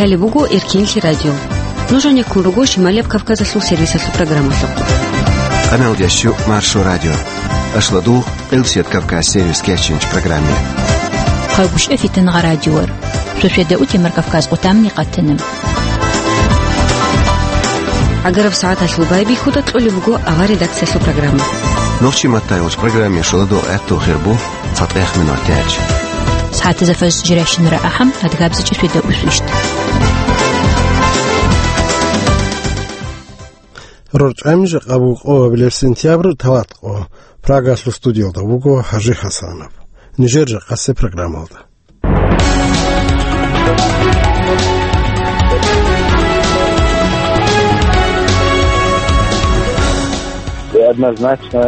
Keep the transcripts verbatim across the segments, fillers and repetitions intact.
Лъалеб буго Эркенлъи радио. Нуж гьанеккун руго Шималияб Кавказалъул сервисалъул программалъухъ. Къаналдящу Маршо радио. Ашладул Къилсият Кавказ сервис кечинч программе. Хъагушев Фитангъа радиор. Шошеда утемар Кавказ къутамни къатана. Агараб сагӀаталъул байбихьуда кьолеб буго авар редакциялъул программа. Нохчи маттайгъуч программе шоладо гӀатту хирбу. ЦатӀехъ минутач. СагӀатазда фажр жирайщинара ахӀам, адгабзичӀеб шведа усвищт. РорчӀами жакъа буго къоабилеб сентябрь талатӀкъо. Прагалъул студиялда вуго ХӀажи ХӀасанов. Нижер жакъасе программалда. И однозначно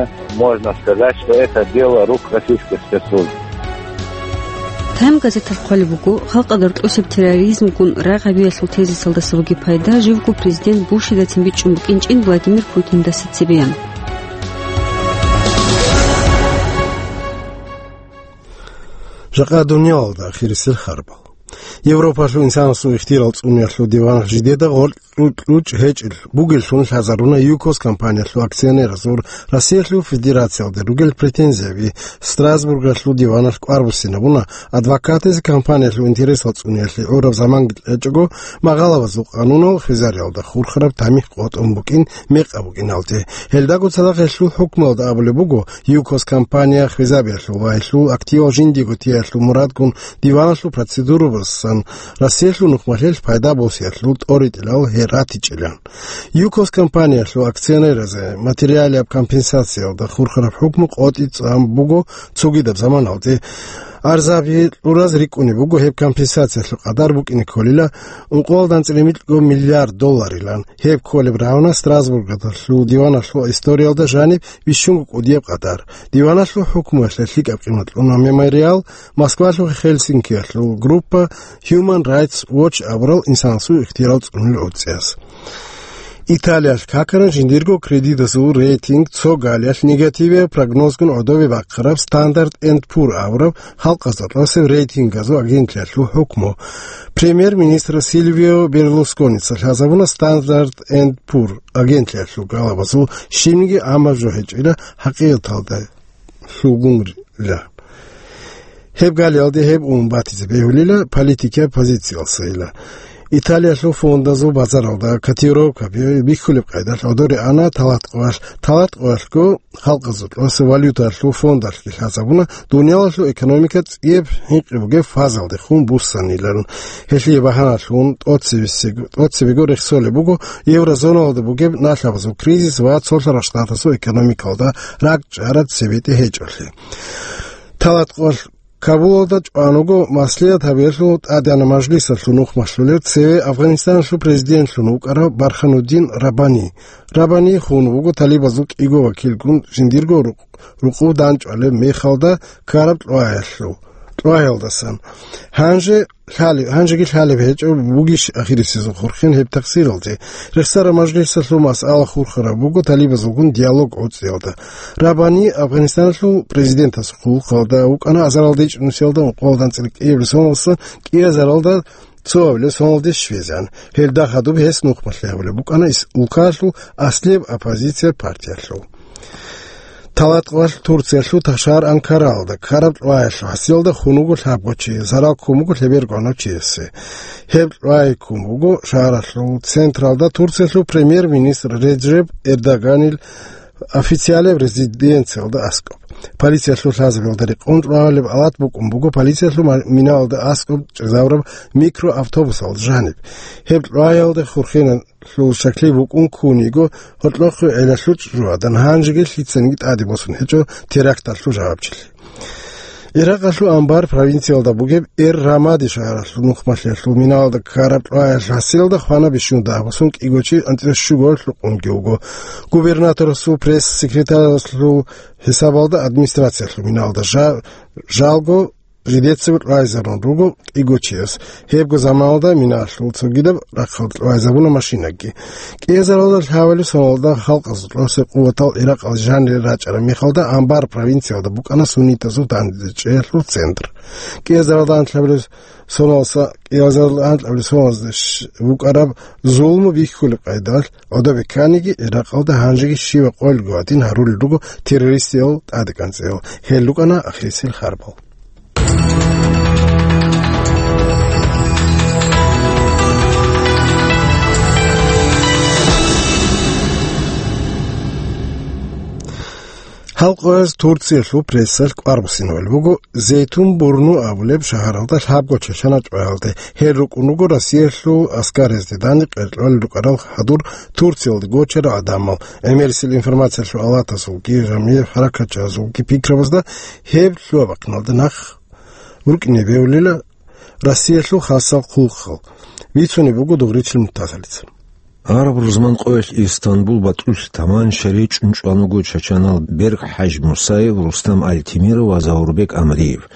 можно сказать, что это дело рук российских спецслужб. Тайм газеталъ хъвалеб буго, халкъалда рокьосеб терроризмгун рагъ гьабиялъул тезисалдаса бугеб пайда живго президент Бушидацин бичӀчӀун букӀинчӀин Владимир Путиндаса цебеян. Жакъа дуниялалда ахирисел харбал. Европалъул инсанасул ихтияр цӀуниялъул диван жидеда гъоркь кьучӀ гьечӀел бугеллъун лъазаруна ЮКОС компаниялъул акционеразул Россиялъул Федерациялде ругел претензияби. Страсбургалъул диваналъ кӀвар буссинабуна, адвокатазе компаниялъул интересал цӀуниялъе гӀураб заманги кьечӀого, магъалабазул къанунал хвезариялда хурхараб тамихӀ къотӀун букӀин мекъаб букӀиналде. Гьелдаго цадахъ гьелъул хӀукмуялда абулеб буго, ЮКОС компания хвезабиялъул ва гьелъул активал жиндиего тиялъул мурадгун диваналъул процедурабасан Россиялъул нухмалъелъ пайда босиялъул тӀоритӀилал гьел ратичӀилан. ЮКОС компаниялъул акционеразе материалияб компенсациялда хурхараб хӀукму къотӀи цӀан буго цогидаб заманалде. Арзаби кьураз рикӀкӀунеб буго гьеб компенсациялъул къадар букӀине кколила ункъоялда анцӀила микьго миллиард долларилан. Гьеб кколеб равна Страсбургалъул диваналъул историялда жаниб бищунго кӀудияб къадар. Диваналъул хӀукмуялъе лъикӀаб къимат кьуна Мемориал, Москвалъухъ Хельсинкиялъул группа Human Rights Watch абурал инсанасул ихтияр цӀунулел гӀурцӀияс. Италиялъ какаран жиндирго кредитазул рейтинг, цо галиялъ негативияб прогнозгун гӀодобе бахъараб Standard and Poor абураб халкъазда кьасеб рейтингазул агентлъиялъул хӀукму. Премьер-министр Сильвио Берлусконица лъазабуна Standard and Poor агентлъиялъул галабазул щибниги гӀамаб жо гьечӀила хӀакъикъаталда лъугьунрила. Гьеб галиялде гьеб ун батизе бегьулила политикияб позициялсайила. Италиялъул фондазул базаралда котировкаби бихьулеб къайдалъ гӀодоре ана талатӀкъоялъ. ТалатӀкъоялъго халкъазул кьоса валюталъул фондалъги лъазабуна дуниялалъул экономика цӀияб хӀинкъи бугеб фазалдехун буссанилан. Гьелъие багьаналъун тӀоцебесего-, тӀоцебего рехсолеб буго еврозоналда бугеб налъабазул кризис ва Цолъарал Штатазул экономикалда ракӀчӀараб цебетӀи гьечӀолъи. ТалатӀкъоялъ Кабулалда чӀван вуго маслигӀат гьабиялъул тӀадегӀанаб мажлисалъул нухмалъулев цеве Афганистаналъул президентлъун вукӀарав Бархануддин Рабани. Рабани хун вуго талибазул кӀиго вакилгун жиндирго рукъ-, рукъов данчӀвалеб мехалда ккараб кьваялъул, кьваялдасан. Гьанже лъали-, гьанжеги лъалеб гьечӀо бугищ ахирисезул хурхен гьеб такъсиралде. Рехсараб мажлисалъул масъала хурхараб буго талибазулгун диалог гӀуцӀиялда. Рабани Афганистаналъул президентасул хъулухъалда вукӀана азаралда ичӀнусиялда ункъоялда анцӀила кӀиабилеб соналдаса кӀиазаралда цоабилеб соналде щвезегӀан. Гьелда хадуб гьес нухмалъи гьабулеб букӀана ис-, улкаялъул аслияб оппозиция партиялъул. ТалатӀкъоялъ Турциялъул ташар Анкаралда ккараб кьваялъул хӀасилалда хун вуго лъабго чи, зарал ккун буго лъеберго гӀанав чиясе. Гьеб кьвай ккун буго шагьаралъул централда Турциялъул премьер-министр Реджеп Эрдоганил официалияб резиденциялда аскӀоб. Полициялъул лъазабиялда рекъон кьвалеб алат букӀун буго полициялъул ма-, миналда аскӀоб чӀезабураб микроавтобусалда жаниб. Гьеб кьваялда хурхеналъул щаклъи букӀун ккун йиго гьоркьохъе гӀелалъул чӀужугӀадан, гьанжеги лъицаниги тӀаде босун гьечӀо теракталъул жавабчилъи. Иракъалъул Анбар провинциялда бугеб Эр-Рамади шагьаралъул нухмалъиялъул миналда ккараб кьваялъул хӀасилалда хвана бищун дагьаб босун кӀиго чи анцӀила щуго гьоркьукъунги вуго. Губернаторасул пресс-секретаралъул хӀисабалда администрациялъул миналда жа-, жалго жидецаго кьвайзарун руго кӀиго чияс. Гьебго заманалда минаялъул цогидаб рахъалда кьвайзабуна машинагги. КӀиазаралда лъабабилеб соналда халкъазул тӀоцебе къуватал Иракъалде жанире рачӀараб мехалда Анбар провинциялда букӀана суннитазул дандечӀеялъул центр. КӀиазаралда анлъабилеб соналса, кӀиазаралда анлъабилеб соналда щ-, букӀараб зулму бихьулеб къайдалъ, гӀодобе кканиги, Иракъалда гьанжеги щиваб къоялъго гьадин гьарулел руго террористиял тӀадегӀанцӀеял. Гьел рукӀана ахирисел харбал. Гьал къояз Турциялъул прессалъ кӀвар буссинабулеб буго Зейтун Бурну абулеб шагьаралда лъабго чачанал чӀваялде. Гьел рукӀун руго Россиялъул аскарзде данде къеркьолел рукӀарал хадур Турциялде гочарал гӀадамал. ГӀемерисел информациялъул алатазулги, жамгӀияб хӀаракатчагӀазулги пикрабазда гьеб лъугьа-бахъиналда нах рукӀине бегьулила Россиялъул хасал хъулухъал. Бицунеб буго Дугъричил Муртазалица. Араб рузман къоялъ Истанбул батӀулъ таманча речӀчӀун чӀван вуго чачанал Берк ХӀаж Мусаев, Рустам Альтимиров ва Заурбек Амриев.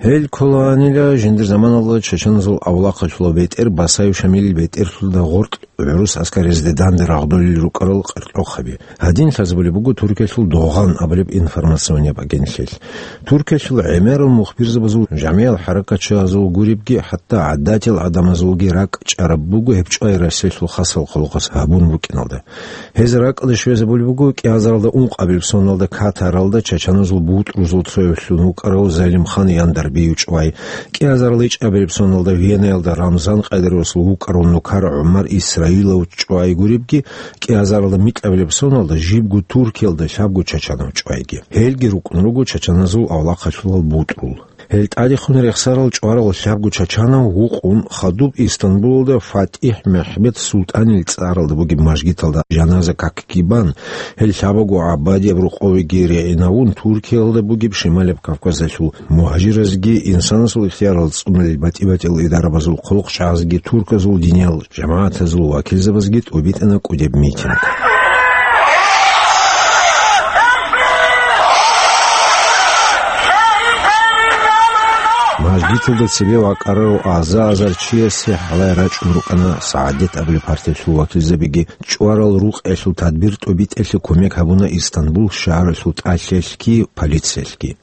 Гьел кколаанила жиндир заманалда чачаназул авлахъалъулаб бетӀер Басаев Шамилил бетӀерлъулда гъоркь гӀурус аскарзде данде рагъдолел рукӀарал къеркьохъаби. Гьадин лъазабулеб буго Туркиялъул Догъан абулеб информационияб агентлъиялъ. Туркиялъул гӀемерал мухбирзабазул, жамгӀиял хӀаракатчагӀазул гуребги, хӀатта гӀадатиял гӀадамазулги ракӀчӀараб буго гьеб чӀвай Россиялъул хасал хъулухъас гьабун букӀиналда. Гьез ракӀалде щвезабулеб буго кӀиазаралда ункъабилеб соналда Катаралда чачаназул бутӀрузул цоявлъун вукӀарав Залимхан Яндарбиев чӀвай, кӀиазарал ичӀабилеб соналда Венаялда Рамзан Къадировасул вукӀарав нукар ГӀумар Исраилов чӀвай гуребги, кӀиазаралда микьабилеб соналда жибго Туркиялда лъабго чачанав чӀвайги. Гьелги рукӀун руго чачаназул авлахъалъулал бутӀрул. Гьел тӀадехун рехсарал чӀварал лъабго чачанав вукъун хадуб Истанбулалда ФатихӀ Мехмед Султанил цӀаралда бугеб мажгиталда жаназа какги бан, гьел лъабаго гӀабадияб рокъовеги регӀинавун, Туркиялда бугеб Шималаб Кавказалъул мугьажиразги, инсанасул ихтиярал цӀунулел батӀи-батӀиял идарабазул хъулухъчагӀазги, турказул диниял жамагӀатазул вакилзабазги тӀубитӀана кӀудеб митинг. Мажгиталда цебе вакӀарарав аза-азар чиясе гьалай рачӀун рукӀана СагӀадат абулеб партиялъул вакилзабиги. ЧӀварал рукъиялъул тадбир тӀубитӀелъе кумек гьабуна Истанбул шагьаралъул тӀалъиялъги полициялъги.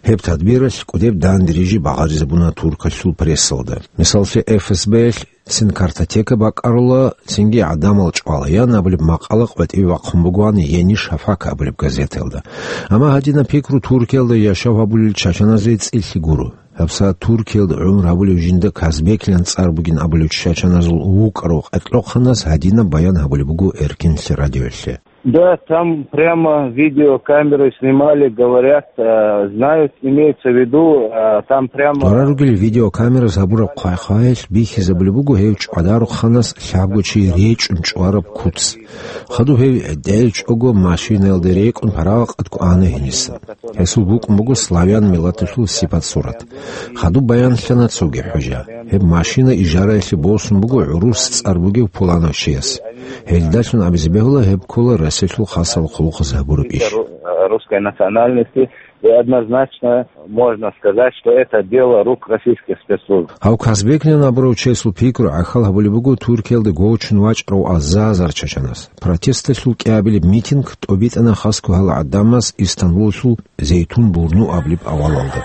Гьеб тадбиралъ кӀудеб данде рижи багъаризабуна туркалъул прессалда. Мисаллъе, ФСБ-ялъ цин картотека бакӀарула, цинги гӀадамал чӀвала, ян абулеб макъала къватӀибе бахъун бугоан Ени Шафак абулеб газетаялда. Амма гьадинаб пикру Туркиялда яшав гьабулел чачаназе цӀилъи гуро. ГьабсагӀат Туркиялда гӀумру гьабулев жинда Казбеклъан цӀар бугин абулев чачаназул вукӀарав къеркьохъанас гьадинаб баян гьабулеб буго Эркинлъи радиоялъе. Да, там прямо видеокамеры снимали, говорят, э, знают, имеется в виду, э, там прямо... Дора ругел видеокамераз гьабураб хъвай-хъваялъ бихьизабулеб буго гьев чӀвадарухъанас лъабго чи речӀчӀун чӀвараб куц. Хадуб гьев дӀелчӀого машинаялде рекӀун парагъат кӀвана гьениса. Гьесул букӀун буго славян миллаталъул сипат-сурат. Хадуб баянлъана цоги хӀужа. Гьеб машина ижараялъе босун буго гӀурус цӀар бугев пуланав чияс. Гьелдалъун абизе бегьула гьеб ккола Россиялъул хасал хъулухъаз гьабураб иш. Ру-, русской национальности, и однозначно можно сказать, что это дело рук российских спецслужб. Гьав Казбеклъан абурав чиясул пикру гӀахьал гьабулеб буго Туркиялда гочун вачӀарав аза-азар чачанас. Протесталъул кӀиабилеб митинг тӀубитӀана хасго гьал гӀадамаз Истанбулалъул Зейтун Бурну абулеб авалалда.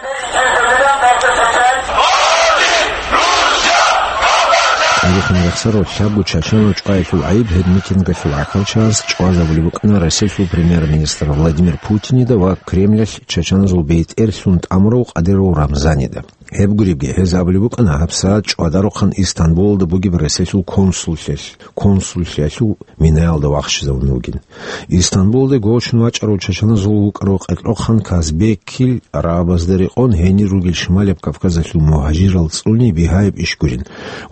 Тарихун рехсарав лъабго чачанав чӀваялъул гӀайиб гьеб митингалъул гӀахьалчагӀаз чӀвазабулеб букӀана Россиялъул премьер-министр Владимир Путинида ва Кремлялъ чачаназул бетӀерлъун тӀамурав Къадиров Рамзанида. Гьеб гуребги, гьез абулеб букӀана гьабсагӀат чӀвадарухъан Истанбулалда бугеб Россиялъул консуллъиялъ, консуллъиялъул минаялда вахчизавун вугин. Истанбулалде гочун вачӀарав чачаназул вукӀарав къеркьохъан Казбекил арабазда рекъон гьенир ругел Шималаб Кавказалъул мугьажирал цӀуни бигьаяб иш гурин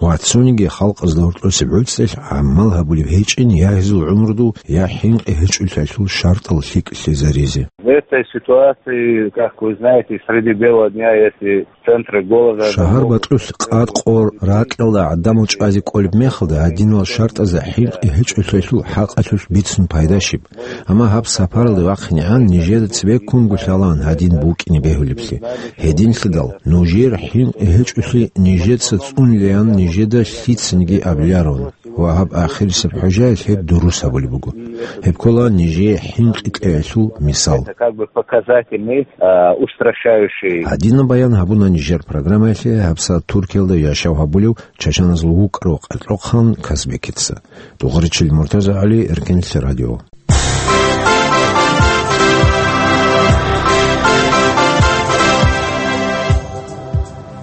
ва цониги халкъазда гьоркьосеб гӀуцӀелъ гӀамал гьабулеб гьечӀин я гьезул гӀумрудул, я хӀинкъи гьечӀолъиялъул шартӀал лъикӀлъизаризе. В этой ситуации, как вы знаете, среди бела дня, если Шагьар бакьулъ къад-къор ракьалда гӀадамал чӀвазе кӀолеб мехалда, гьадинал шартӀазда хӀинкъи гьечӀолъиялъул хӀакъалъулъ бицун пайда щиб? Амма гьаб сапаралде вахъинегӀан нижеда цебеккунго лъалаан гьадин букӀине бегьулеблъи. Гьединлъидал нужер хӀинкъи гьечӀолъи нижеца цӀунилаян нижеда лъицаниги абилароан. Ва гьаб ахирисеб хӀужаялъ гьеб дурус гьабулеб буго. Гьеб ккола нижее хӀинкъи кьеялъул мисал. Это как бы показательный, а, устрашающий. Гьадинаб баян гьабуна нижер программаялъе гьабсагӀат Туркиялда яшав гьабулев чачаназул вукӀарав къачӀахъан Казбекица. Дугъричил Муртаза ГӀали, Эркенлъи радио.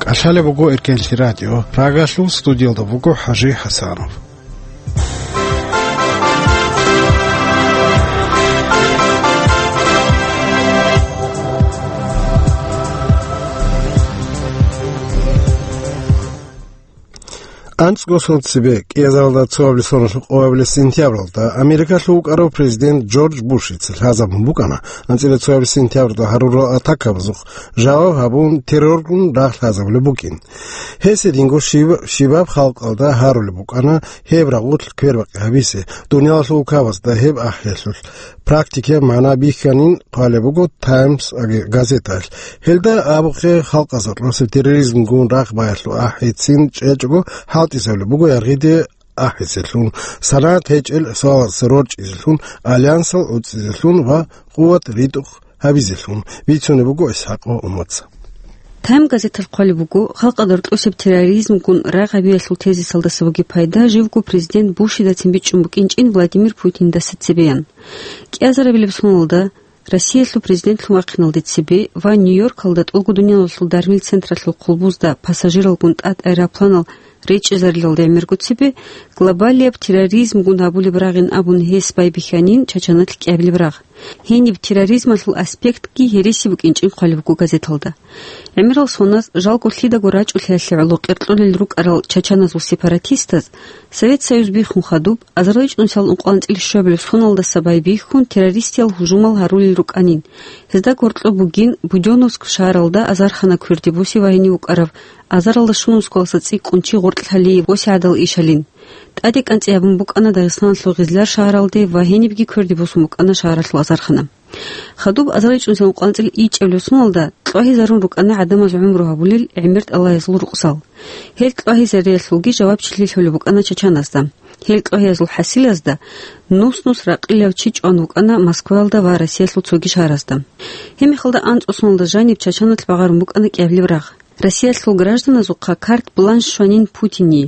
КӀалъалеб буго Эркенлъи радио. Прагалъул студиялда буго ХӀажи ХӀасанов. АнцӀго сон цебе, кӀиазаралда цоабилеб соналъул къоабилеб сентябралда, Америкалъул вукӀарав президент Джордж Бушица лъазабун букӀана, анцӀила цоабилеб сентябралда гьарурал атакабазухъ жаваб гьабун, терроргун рагъ лъазабулеб букӀин. Гьес гьединго щиб-, щибаб халкъалда гьарулеб букӀана гьеб рагъулъ квербакъи гьабизе, дуниялалъул улкабазда гьеб ахӀиялъулъ практикаяб магӀна бихьанин хъвалеб буго Таймс аги-, газеталъ. Гьелда абухъе, халкъазда кьосеб терроризмгун рагъ баялъул ахӀицин чӀечӀого хӀалтӀизабулеб буго яргъиде ахӀизелъун, санагӀат гьечӀел суалаздаса рорчӀизелъун, альянсал уцӀцӀизелъун ва къуват ритӀухъ гьабизелъун, бицунеб буго ИсхӀакъ Умаца. Тайм газеталъ хъвалеб буго, халкъалда рокьосеб терроризмгун рагъ гьабиялъул тезисалдаса бугеб пайда живго президент Бушидацин бичӀчӀун букӀинчӀин Владимир Путиндаса цебеян. КӀиазарабилеб соналда Россиялъул президентлъун вахъиналде цебе ва Нью-Йоркалда тӀолго дуниялалъул дармил централъул хъулбузда пассажиралгун тӀад аэропланал речӀчӀизарилалде гӀемерго цебе, глобалияб терроризмгун гьабулеб рагъин абун гьес байбихьанин Чачаналъ кӀиабилеб рагъ. Гьениб терроризмалъул аспектги гьереси букӀинчӀин хъвалеб буго газеталда. ГӀемерал соназ жалго лъидаго рачӀулъиялъе гӀоло къеркьолел рукӀарал чачаназул сепаратистаз Совет Союз биххун хадуб, азарилчӀунсал ункъоялда анцӀила щуабилеб соналдаса байбихьун террористиял гьужумал гьарулел рукӀанин. Гьезда гьоркьоб бугин Будённовск шагьаралда азархана кверде босизе вагьине вукӀарав, азаралда щун Москваласа цӀикӀкӀун чи гъоркьлъи гьалие босигӀадал ишалин. ТӀаде кӀанцӀи гьабун букӀана Дагъистаналъул Гъизлар шагьаралде ва гьенибги кверде босун букӀана шагьаралъул азархана. Хадуб азарилчӀунсал ункъоялда анцӀила ичӀабилеб соналда кьвагьизарун рукӀана гӀадамаз гӀумру гьабулел гӀемер тӀалаязул рукъзал. Гьел кьвагьизариялъулги жавабчилъи лъолеб букӀана чачаназда. Гьел кьвагьиязул хӀасилазда нус-нус ракъилав чи чӀван вукӀана Москваялда ва Россиялъул цоги шагьаразда. Гьеб мехалда анцӀго соналда жаниб Чачаналъ багъарун букӀана кӀиабилеб рагъ. Россиялъул гражданазухъа карт-бланш щванин Путине.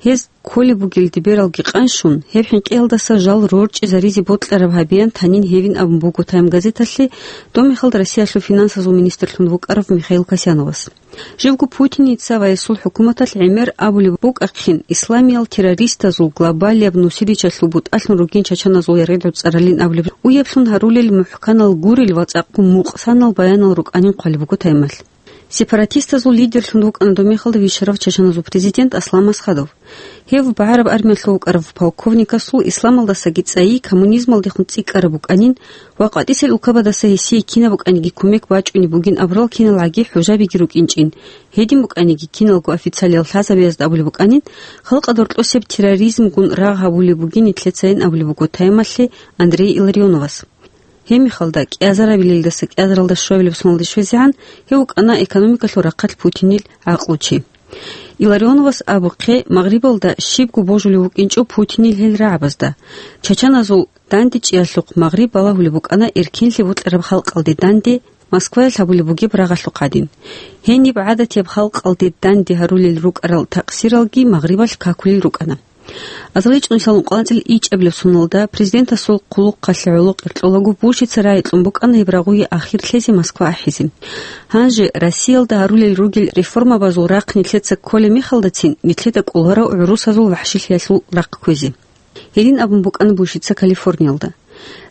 Гьез кколеб бугелде бералги къанщун, гьеб хӀинкъиялдаса жал рорчӀизаризе бокьараб гьабеян танин гьевин абун буго Тайм газеталъе, доб мехалда Россиялъул финансазул министрлъун вукӀарав Михаил Касьяновас. Живго Путиница ва гьесул хӀукуматалъ гӀемер абулеб букӀахъин, исламиял террористазул глобалияб нусиличалъул бутӀалъун ругин чачаназул яргъи гӀуцӀаралин абулеб уяблъун гьарулел мухӀканал гурел ва цӀакъго мукъсанал баянал рукӀанин хъвалеб буго Таймалъ. Сепаратистазул лидерлъун вукӀана доб мехалда вищарав чачаназул президент Аслан Масхадов. Гьев багӀараб армиялъув вукӀарав полковникасул исламалдасаги цӀайи коммунизмалдехун цӀикӀкӀараб букӀанин ва къватӀисел улкабадаса гьесие кинаб букӀаниги кумек бачӀунеб бугин абурал кинал гӀаги хӀужабиги рукӀинчӀин, гьедин букӀаниги киналго официалиял лъазабазда абулеб букӀанин, халкъалда рокьосеб терроризмгун рагъ гьабулеб бугин нилъецайин абулеб буго Таймалъе Андрей Илларионовас. Гьеб мехалда, кӀиазарабилелдаса кӀиазаралда щуабилеб соналде щвезегӀан, гьев вукӀана экономикалъул рахъалъ Путинил гӀакълучи. Илларионовас абухъе, Магърибалда щибго божулев вукӀинчӀо Путинил гьел рагӀабазда. Чачаназул дандечӀеялъухъ Магъриб балагьулеб букӀана эркенлъи бокьараб халкъалде данде Москваялъ гьабулеб бугеб рагъалъухъ гӀадин. Гьениб гӀадатияб халкъалде данде гьарулел рукӀарал такъсиралги Магърибалъ какулел рукӀана. АзарилчӀунсал ункъоялда анцӀила ичӀабилеб соналда президентасул хъулухъалъе гӀоло къеркьолаго Бушица рагӀи кьун букӀана гьеб рагъуе ахир лъезе Москва ахӀизе. Гьанже Россиялда гьарулел ругел реформабазул рахъ нилъеца кколеб мехалдацин, нилъеда кӀоларав гӀурусазул вахӀшилъиялъул рахъ кквезе. Гьедин абун букӀана Бушица Калифорниялда.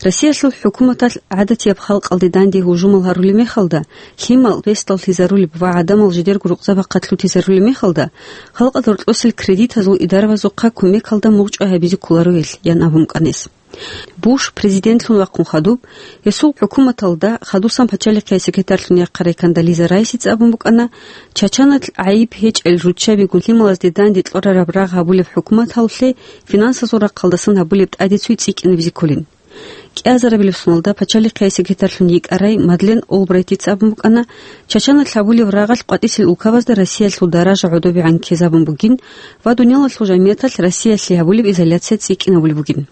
Россиялъул хӀукуматалъ гӀадатияб халкъалде данде гьужумал гьарулеб мехалда, лъимал бесдаллъизарулеб ва гӀадамал жидерго рукъзабахъалъ лъутизарулеб мехалда, халкъалда рокьосел кредитазул идарабазухъа кумекалда мугъчӀвай гьабизе кколаро гьелъ, ян абун букӀана гьес. Буш президентлъун вахъун хадуб, гьесул хӀукуматалда хадусан пачалихъе секретарьлъун яхъарай Кондолиза Райсица абун букӀана, Чачаналъ гӀайиб гьечӀел руччабигун лъималазде данде кьурараб рагъ гьабулеб хӀукуматалъе финансазул рахъалдасан гьабулеб тӀаде цуй цӀикӀкӀинабизе кколин. КӀиазарабилеб соналда пачалихъе секретарьлъун йикӀарай Мадлен Олбрайтица абун букӀана, Чачаналъ гьабулеб рагъалъ къватӀисел улкабазда Россиялъул даража гӀодобегӀан ккезабун бугин ва дуниялалъул жамигӀаталъ Россиялъе гьабулеб изоляция цӀикӀкӀинабулеб бугин.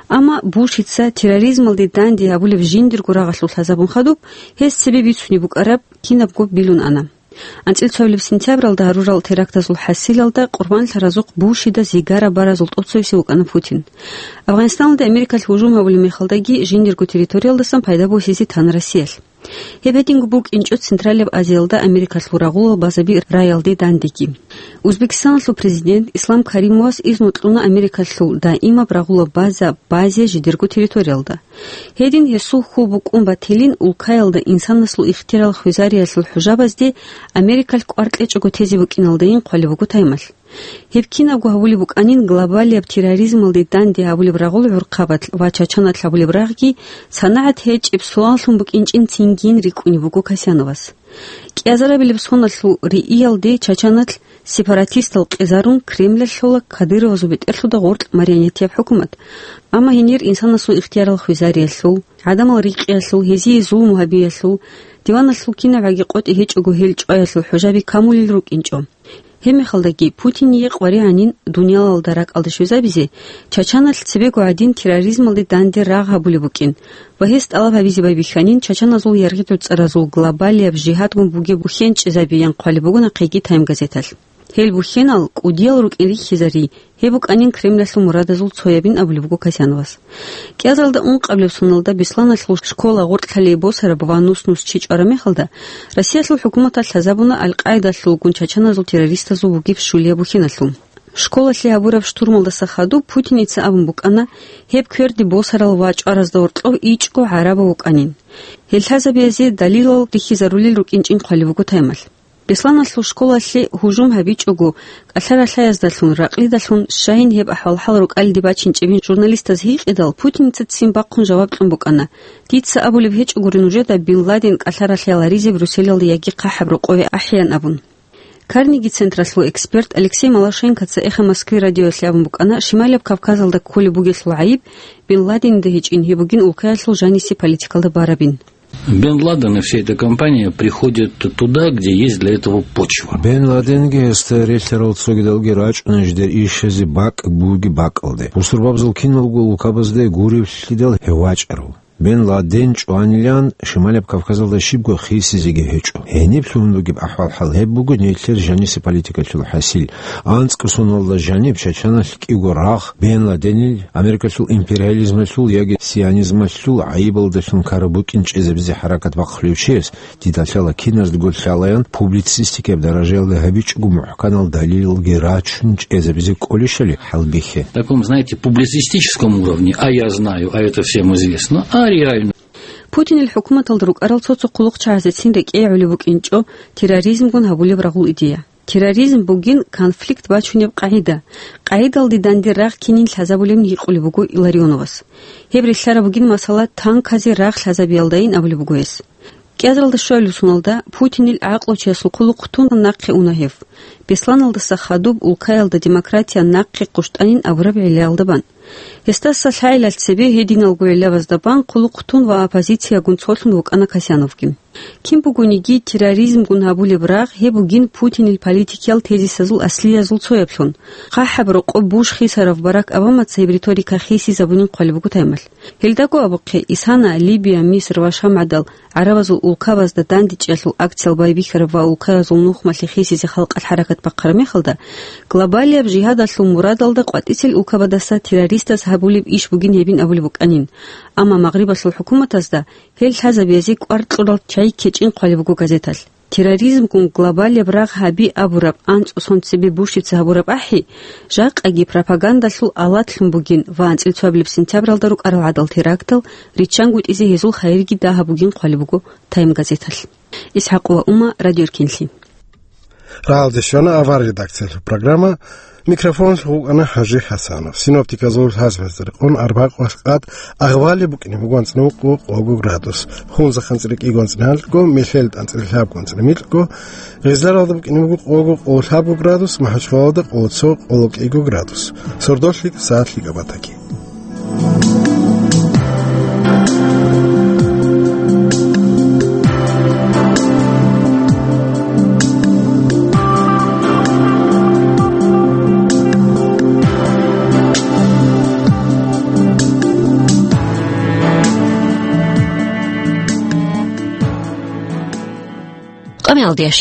Амма Бушица терроризмалде данде гьабулеб жиндирго рагъалъулъ лъазабун хадуб, гьес цебе бицунеб букӀараб кинабго билун ана. АнцӀил цоябилеб сентябралда гьарурал терактазул хӀасилалда къурбанлъаразухъ Бушида зигараб баразул тӀоцевесев вукӀана Путин. Афганистаналде Америкалъ гьужум гьабулеб мехалдаги жиндирго территориялдасан пайда босизе тана Россиялъ. Гьеб гьединго букӀинчӀо Централияб Азиялда Америкалъул рагъулал базаби раялде дандеги. Узбекистаналъул президент Ислам Каримовас изну кьуна Америкалъул даимаб рагъулаб база базе жидерго территориялда. Гьедин гьесул хьул букӀун батилин улкаялда инсанасул ихтиярал хвезариялъул хӀужабазде Америкалъ кӀвар кьечӀого тезе букӀиналдайин хъвалеб буго таймалъ. Гьеб кинабго гьабулеб букӀанин, глобалияб терроризмалде данде гьабулеб рагъул гӀурхъабалъ ва Чачаналъ гьабулеб рагъги санагӀат гьечӀеб суаллъун букӀинчӀин цингин рикӀкӀунеб буго Касьяновас. КӀиазарабилеб соналъул рииялде Чачаналъ сепаратистал къезарун Кремлалъ лъола Кадыровазул бетӀерлъуда гъоркь марионетияб хӀукумат. Амма гьенир инсанасул ихтиярал хвезариялъул, гӀадамал рикъиялъул, гьезие зулму гьабиялъул, диваналъул кинабгӀаги къотӀи гьечӀого гьел чӀваялъул хӀужаби камулел рукӀинчӀо. Гьебмехалдаги Путиние къваригӀанин дуниялалда ракӀалде щвезабизе, Чачаналъ цебего гӀадин терроризмалде данде рагъ гьабулеб букӀин ва гьес тӀалаб гьабизе байбихьанин чачаназул яргъи-гӀуцӀаразул глобалияб жигьадгун бугеб бухьен чӀезабеян хъвалеб буго нахъеги Тайм газеталъ. Гьел бухьенал кӀудиял рукӀин рихьизари, гьеб букӀанин Кремлалъул мурадазул цоябин абулеб буго Касьяновас. КӀиазалда ункъабилеб соналда Бесланалъул школа гъоркьлъалие босараб ва нус-нус чи чӀвараб мехалда, Россиялъул хӀукуматалъ лъазабуна Аль-Къаидалъулгун чачаназул террористазул бугеб щулияб бухьеналъул. Школалъе гьабураб штурмалдаса хадуб Путиница абун букӀана, гьеб кверде босарал ва чӀваразда гьоркьов ичӀго гӀарабав вукӀанин. Гьел лъазабизе далилал рихьизарулел рукӀинчӀин хъвалеб буго Таймалъ. Бесланалъул школалъе гьужум гьабичӀого, кӀалъа-ралъаяздалъун, ракълидалъун щайин гьеб ахӀвал-хӀал рукӀалиде бачинчӀебин журналистаз гьикъидал, Путиница ццин бахъун жаваб кьун букӀана: «Дица абулеб гьечӀогури нужеда Бин Ладен кӀалъа-ралъаяларизе Брюсселалде яги хъахӀаб рокъове ахӀеян», – абун. Карнеги централъул эксперт Алексей Малашенкоца «Эхо Москвы» радиоялъе абун букӀана, Шималияб Кавказалда кколеб бугелъул гӀайиб Бин Ладенида гьечӀин, гьеб бугин улкаялъул жанисе политикалда барабин. Бен Ладен и вся эта компания приходит туда, где есть для этого почва. Бен Ладенги гьесда релълъарал цогидалги рачӀуна жидер ишазе бакӀ буги бакӀалде. Бусурбабазул киналго улкабазде гуревлъидал гьев вачӀарав. Бен Ладен чӀванилан Шималияб Кавказалда щибго хисизеги гьечӀо. Гьениб лъугьун бугеб ахӀвал-хӀал гьеб буго нилъер жанисе политикалъул хӀасил. АнцӀго соналда жаниб Чачаналъ кӀиго рагъ Бен Ладенил, Америкалъул империализмалъул яги сионизмалъул гӀайибалдалъун ккараб букӀин чӀезабизе хӀаракат бахъулев чияс, дида лъала киназдаго лъалаян публицистикаяб даражаялда гьабичӀого мухӀканал далилалги рачун чӀезабизе кӀолищали хӀалбихье. В таком, знаете, публицистическом уровне, а я знаю, а это всем известно, а реально. Путинил хӀукуматалда рукӀарал цо-цо хъулухъчагӀазецин рекӀее гӀолеб букӀинчӀо терроризмгун гьабулеб рагъул идея. Терроризм бугин конфликт бачунеб къагӀида. КъагӀидалде данде рагъ кинин лъазабулебин гьикъулеб буго Илларионовас. Гьеб рилълъараб бугин масала танказе рагъ лъазабиялдайин абулеб буго гьес. КӀиазалда щвалеб соналда Путинил гӀакълучиясул хъулухъ тун нахъе уна гьев. Бесланалдаса хадуб улкаялда демократия нахъе хъущтӀанин абураб гӀиллаялда бан. Гьесдаса лъагӀелалъ цебе гьединалго гӀиллабазда бан хъулухъ тун ва оппозициягун цолъун вукӀана Касьяновги. Кин бугониги, терроризмгун гьабулеб рагъ гьеб бугин Путинил политикиял тезисазул аслиязул цояблъун. ХъахӀаб рокъоб буш хисарав Барак Обамаца гьеб риторика хисизабунин хъвалеб буго таймалъ. Гьелдаго абухъе, Исана, Либия, Миср ва Шам гӀадал гӀарабазул улкабазда дандечӀеялъул акциял байбихьараб ва улкаязул нухмалъе хисизе халкъалъ хӀаракат бахъараб мехалда, глобалияб жигьадалъул мурадалда къватӀицел улкабадаса террористаз гьабулеб иш бугин гьебин абулеб букӀанин. Амма Магърибалъул хӀукуматазда гьел лъазабизе кӀвар кьурал чагӀи ккечӀин хъвалеб буго газеталъ. Терроризмгун глобалияб рагъ гьаби абураб анцӀго сон цебе Бушица гьабураб ахӀи, жакъаги пропагандалъул алатлъун бугин ва анцӀил цоабилеб сентябралда рукӀарал гӀадал терактал риччангутӀизе гьезул хайирги дагьаб бугин хъвалеб буго Тайм газеталъ. ИсхӀакъова Ума, Радио Эркенлъи. Рагьалде щвана авар редакциялъул программа. Микрофон гьукъана ХӀажи ХӀасанов. Синоптиказул лъазабазда рекъон арбакъвалъ къад агъвали букӀине буго анцӀнукъо къого градус, хунзахъанцӀ рикӀиго анцӀнилго, мелъел тӀанцӀри лъабго анцӀри микьго, Гъизларалда букӀине буго къого къоло лъабго градус, МахӀачхъалалда къоло цо къоло кӀиго градус. Сордолъи сагӀат лъикӀаб батаги. Къамиялдияш